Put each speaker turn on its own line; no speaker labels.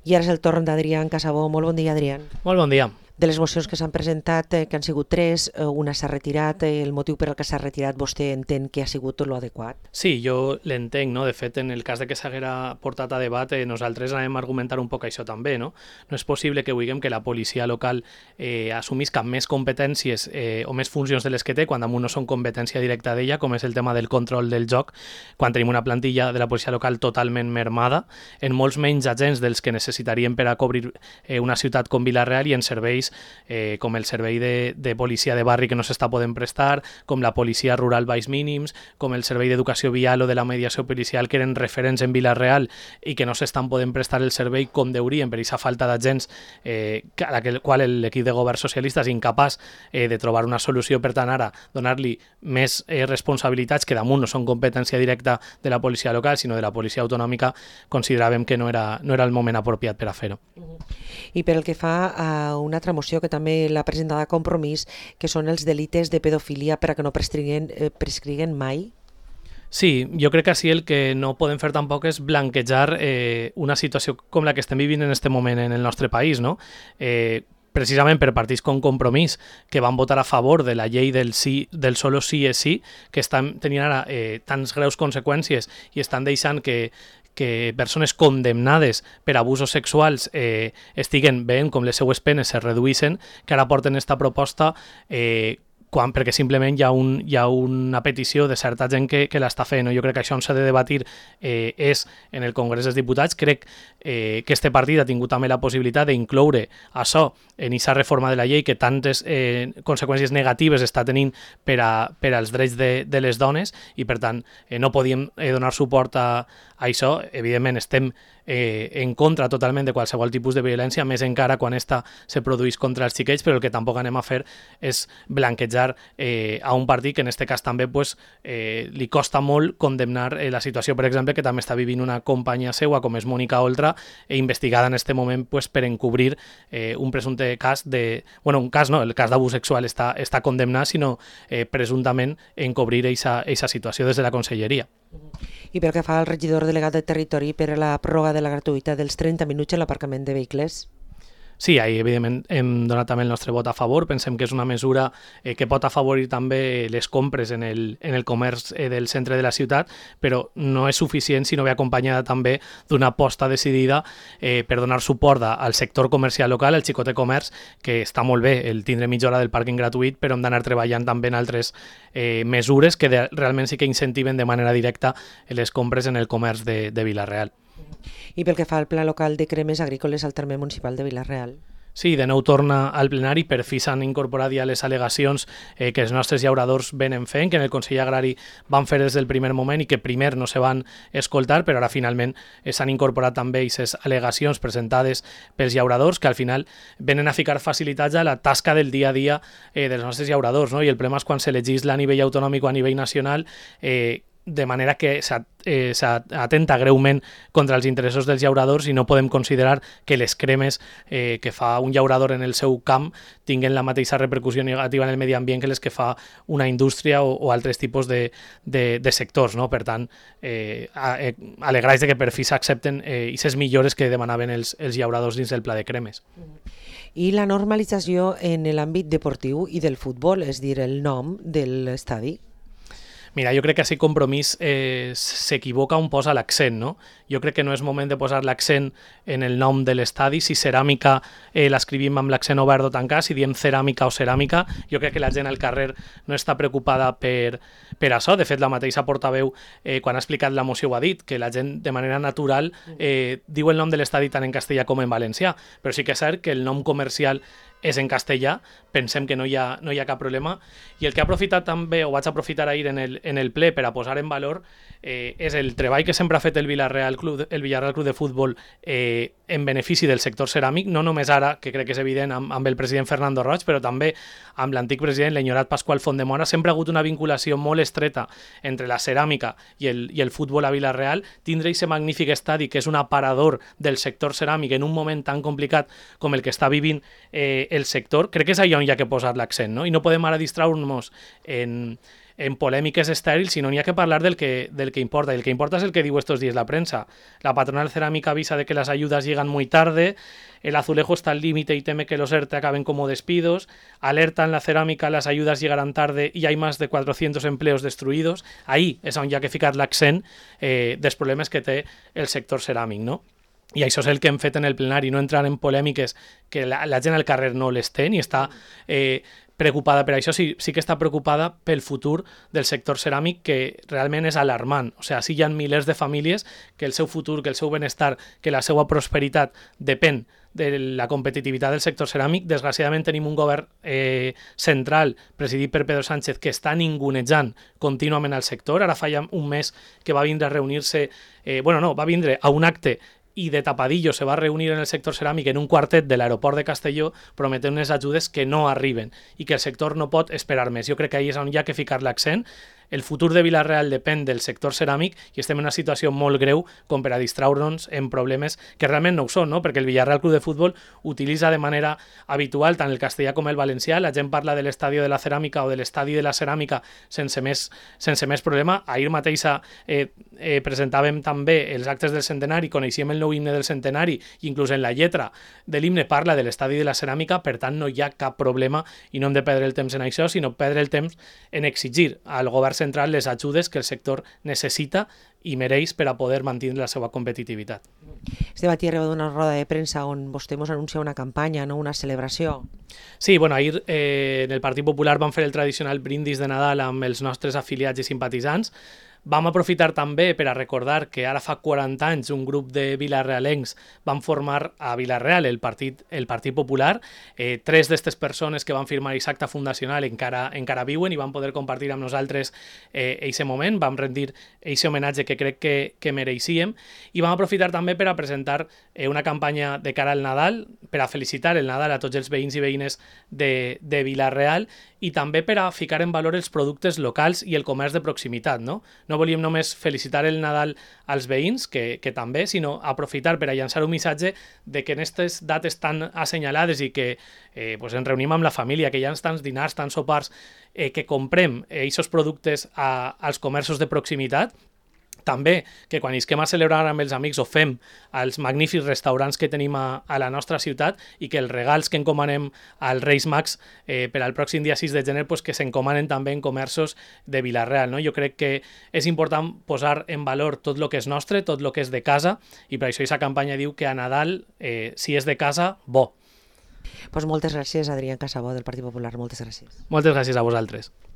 I ara és el torn d'Adrián Casabó. Molt bon dia, Adrián.
Molt bon dia.
De les mocions que s'han presentat, que han sigut 3, una s'ha retirat, el motiu per al que s'ha retirat vostè entén que ha sigut tot l'adequat?
Sí, jo l'entenc, no? De fet, en el cas de que s'haguera portat a debat, nosaltres anem a argumentar un poc això també, no? No és possible que vulguem que la policia local assumisca més competències o més funcions de les que té, quan damunt no són competència directa d'ella, com és el tema del control del joc, quan tenim una plantilla de la policia local totalment mermada, en molts menys agents dels que necessitaríem per a cobrir una ciutat com Vila-real i en serveis com el servei de policia de barri que no s'està podent prestar, com la policia rural baix mínims, com el servei d'educació vial o de la mediació policial que eren referents en Vila-real i que no s'estan podent prestar el servei com deurien per aquesta falta d'agents a la qual l'equip de govern socialista és incapaç de trobar una solució. Per tant, ara donar-li més responsabilitats que damunt no són competència directa de la policia local sinó de la policia autonòmica, consideràvem que no era el moment apropiat per a fer-ho.
I per el que fa a una altra moció que també l'ha presentada a Compromís, que són els delictes de pedofilia per a que no prescriguen mai?
Sí, jo crec que així el que no podem fer tampoc és blanquejar una situació com la que estem vivint en aquest moment en el nostre país, no? Precisament per partits com Compromís, que van votar a favor de la llei del solo sí és sí, que estan tenint ara tants greus conseqüències i estan deixant que persones condemnades per abusos sexuals estiguen veient com les seues penes se reduïssin, que ara porten esta proposta perquè simplement hi ha una petició de certa gent que l'està fent. Jo crec que això on s'ha de debatir és en el Congrés dels Diputats. Crec que este partit ha tingut també la possibilitat d'incloure això en aquesta reforma de la llei que tantes conseqüències negatives està tenint per als drets de les dones i per tant no podíem donar suport a això. Evidentment estem en contra totalment de qualsevol tipus de violència, més encara quan esta se produeix contra els xiquets, però el que tampoc anem a fer és blanquejar a un partit que en aquest cas també li costa molt condemnar la situació, per exemple, que també està vivint una companya seua com és Mònica Oltra, investigada en aquest moment per encobrir un presumpte cas un cas no, el cas d'abús sexual està condemnat, sinó presumptament encobrir aquesta situació des de la conselleria.
I pel que fa al regidor delegat de Territori per a la pròrroga de la gratuïtat dels 30 minuts en l'aparcament de vehicles?
Sí, ahí evidentment hem donat també el nostre vot a favor. Pensem que és una mesura que pot afavorir també les compres en el comerç del centre de la ciutat, però no és suficient si no ve acompanyada també d'una aposta decidida per donar suport al sector comercial local, al xicotet comerç, que està molt bé el tindre mitja hora del pàrquing gratuït, però hem d'anar treballant també en altres mesures que realment sí que incentiven de manera directa les compres en el comerç de Vila-real.
I pel que fa al Pla Local de Cremes Agrícoles al terme municipal de Vila-real?
Sí, de nou torna al plenari, per fi s'han incorporat ja les al·legacions que els nostres llauradors venen fent, que en el Consell Agrari van fer des del primer moment i que primer no se van escoltar, però ara finalment s'han incorporat també aquestes al·legacions presentades pels llauradors, que al final venen a ficar facilitats a la tasca del dia a dia dels nostres llauradors, no? I el problema és quan se legisla a nivell autonòmic o a nivell nacional de manera que s'atenta greument contra els interessos dels llauradors i no podem considerar que les cremes que fa un llaurador en el seu camp tinguen la mateixa repercussió negativa en el medi ambient que les que fa una indústria o altres tipus de sectors, no? Per tant, alegreix que per fi s'accepten aquestes millores que demanaven els llauradors dins del pla de cremes.
I la normalització en l'àmbit deportiu i del futbol, és dir, el nom de l'estadi?
Mira, jo crec que així Compromís s'equivoca on posa l'accent, no? Jo crec que no és moment de posar l'accent en el nom de l'estadi. Si ceràmica l'escrivim amb l'accent obert o tancat, si diem ceràmica o ceràmica, jo crec que la gent al carrer no està preocupada per això. De fet, la mateixa portaveu, quan ha explicat la moció, ho ha dit, que la gent de manera natural diu el nom de l'estadi tant en castellà com en valencià, però sí que és cert que el nom comercial és en castellà, pensem que no hi ha cap problema. I el que ha aprofitat també, o vaig aprofitar ahir en el ple per a posar en valor, és el treball que sempre ha fet el Villarreal Club de Futbol en benefici del sector ceràmic, no només ara, que crec que és evident amb el president Fernando Roig, però també amb l'antic president, l'enyorat Pasqual Fontdemora. Sempre ha hagut una vinculació molt estreta entre la ceràmica i el futbol a Vila-real. Tindre aquest magnífic estadi, que és un aparador del sector ceràmic en un moment tan complicat com el que està vivint el sector, crec que és allà on hi ha que posar l'accent, no? I no podem ara distraure-nos en en polèmiques estèrils, sinó n'hi ha que parlar del que importa. Y el que importa es el que digo estos días la prensa. La patronal cerámica avisa de que las ayudas llegan muy tarde, el azulejo está al límite y teme que los ERTE acaben como despidos, alertan la cerámica, las ayudas llegarán tarde y hay más de 400 empleos destruïdos. Ahí és on hi ha que ficar l'accent dels problemes que té el sector ceràmic, no? I això és el que hem fet en el plenari, no entrar en polèmiques que la gent al carrer no les té ni està preocupada per això, sí que està preocupada pel futur del sector ceràmic, que realment és alarmant. O sigui, sí hi ha milers de famílies que el seu futur, que el seu benestar, que la seva prosperitat depèn de la competitivitat del sector ceràmic. Desgraciadament tenim un govern central presidit per Pedro Sánchez que està ningunejant contínuament al sector. Ara fa ja un mes que va vindre a reunir-se, va vindre a un acte i de tapadillo se va reunir en el sector ceràmic en un quartet de l'aeroport de Castelló prometent unes ajudes que no arriben i que el sector no pot esperar més. Jo crec que ahí és on hi ha que ficar l'accent. El futur de Vila-real depèn del sector ceràmic i estem en una situació molt greu com per a distraure-nos en problemes que realment no ho són, no? Perquè el Villarreal Club de Futbol utilitza de manera habitual tant el castellà com el valencià. La gent parla de l'estadi de la ceràmica o de l'estadi de la ceràmica sense més problema. Ahir mateix presentàvem també els actes del centenari, coneixíem el nou himne del centenari i inclús en la lletra de l'himne parla de l'estadi de la ceràmica, per tant no hi ha cap problema i no hem de perdre el temps en això, sinó perdre el temps en exigir al govern central les ajudes que el sector necessita i mereix per a poder mantenir la seva competitivitat.
Este matí arriba d'una roda de premsa on vostè ens anuncia una campanya, no? Una celebració.
Sí, ahir en el Partit Popular vam fer el tradicional brindis de Nadal amb els nostres afiliats i simpatitzants. Vam aprofitar també per a recordar que ara fa 40 anys un grup de vilarealencs van formar a Vila-real el Partit Popular. 3 d'aquestes persones que van firmar aquest acte fundacional encara viuen i van poder compartir amb nosaltres aquest moment. Vam rendir aquest homenatge que crec que mereixíem i vam aprofitar també per a presentar una campanya de cara al Nadal, per a felicitar el Nadal a tots els veïns i veïnes de Vila-real i també per a ficar en valor els productes locals i el comerç de proximitat, no? No volíem només felicitar el Nadal als veïns, que també, sinó aprofitar per a llançar un missatge de que en aquestes dates tan assenyalades i que ens reunim amb la família, que hi ha tants dinars, tants sopars, que comprem aquests productes als comerços de proximitat. També que quan isquem a celebrar amb els amics ho fem als magnífics restaurants que tenim a la nostra ciutat i que els regals que encomanem als Reis Mags per al pròxim dia 6 de gener que s'encomanen també en comerços de Vila-real, no? Jo crec que és important posar en valor tot el que és nostre, tot el que és de casa i per això aquesta campanya diu que a Nadal, si és de casa, bo.
Pues moltes gràcies, Adrián Casabó, del Partit Popular. Moltes gràcies.
Moltes gràcies a vosaltres.